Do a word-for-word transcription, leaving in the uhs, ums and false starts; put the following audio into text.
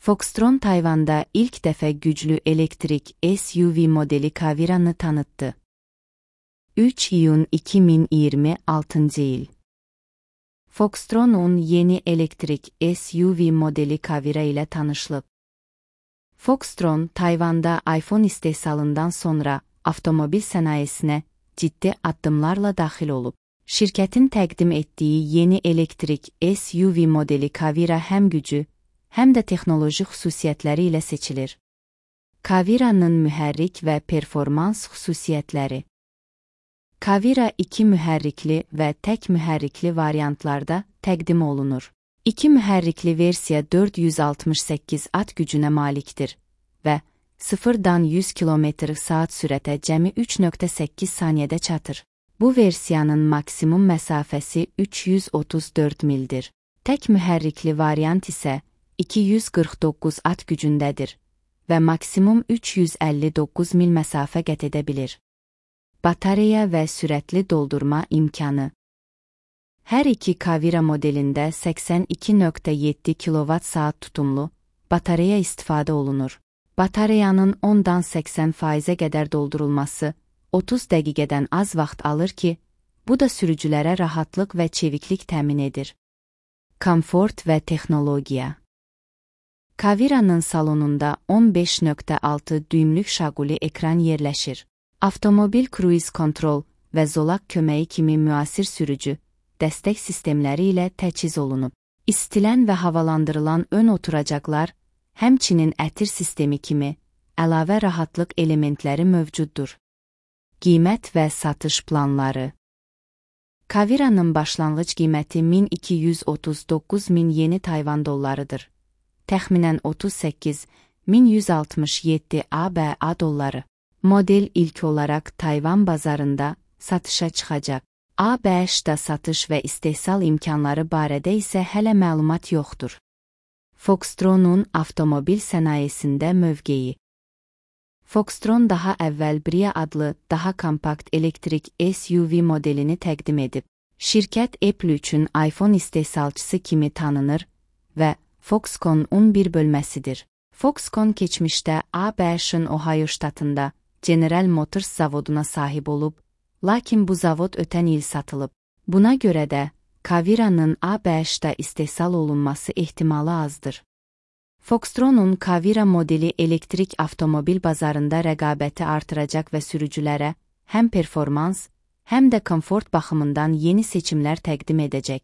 Foxtron Tayvan'da ilk dəfə güclü elektrik S U V modeli Caviran'ı tanıttı. üç iyun iki min iyirmi altıncı il. Foxtron'un yeni elektrik S U V modeli Cavira ile tanışılıb. Foxtron, Tayvan'da iPhone istehsalından sonra avtomobil sənayesinə ciddi addımlarla daxil olub. Şirkətin təqdim etdiyi yeni elektrik S U V modeli Cavira həm gücü, həm də texnoloji xüsusiyyətləri ilə seçilir. Cavira'nın mühərrik və performans xüsusiyyətləri. Cavira iki mühərrikli və tək mühərrikli variantlarda təqdim olunur. İki mühərrikli versiya dörd yüz altmış səkkiz at gücünə malikdir və sıfırdan yüz kilometr saat sürətə cəmi üç nöqtə səkkiz saniyədə çatır. Bu versiyanın maksimum məsafəsi üç yüz otuz dörd mildir. Tək mühərrikli variant isə iki yüz qırx doqquz at gücündədir və maksimum üç yüz əlli doqquz mil məsafə qət edə bilir. Batareya və sürətli doldurma imkanı. Hər iki Cavira modelində səksən iki nöqtə yeddi kilovat saat tutumlu batareya istifadə olunur. Batareyanın ondan səksən faizə qədər doldurulması otuz dəqiqədən az vaxt alır ki, bu da sürücülərə rahatlıq və çeviklik təmin edir. Komfort və texnologiya. Cavira'nın salonunda on beş nöqtə altı düymlük şaquli ekran yerləşir. Avtomobil cruise kontrol və zolaq köməyi kimi müasir sürücü dəstək sistemləri ilə təchiz olunub. İstilən və havalandırılan ön oturacaqlar, həmçinin ətir sistemi kimi əlavə rahatlıq elementləri mövcuddur. Qiymət və satış planları. Cavira'nın başlanğıc qiyməti min iki yüz otuz doqquz min yeni Tayvan dollarıdır. Təxminən otuz səkkiz min yüz altmış yeddi A B A dolları. Model ilk olaraq Tayvan bazarında satışa çıxacaq. A B Ş'da satış və istehsal imkanları barədə isə hələ məlumat yoxdur. Foxtron'un avtomobil sənayesində mövqeyi. Foxtron daha əvvəl Bria adlı daha kompakt elektrik S U V modelini təqdim edib. Şirkət Apple üçün iPhone istehsalçısı kimi tanınır və Foxconn'un bir bölməsidir. Foxconn keçmişdə A B Ş'ın Ohio ştatında General Motors zavoduna sahib olub, lakin bu zavod ötən il satılıb. Buna görə də Cavira'nın A B Ş'da istehsal olunması ehtimalı azdır. Foxtron'un Cavira modeli elektrik avtomobil bazarında rəqabəti artıracaq və sürücülərə həm performans, həm də komfort baxımından yeni seçimlər təqdim edəcək.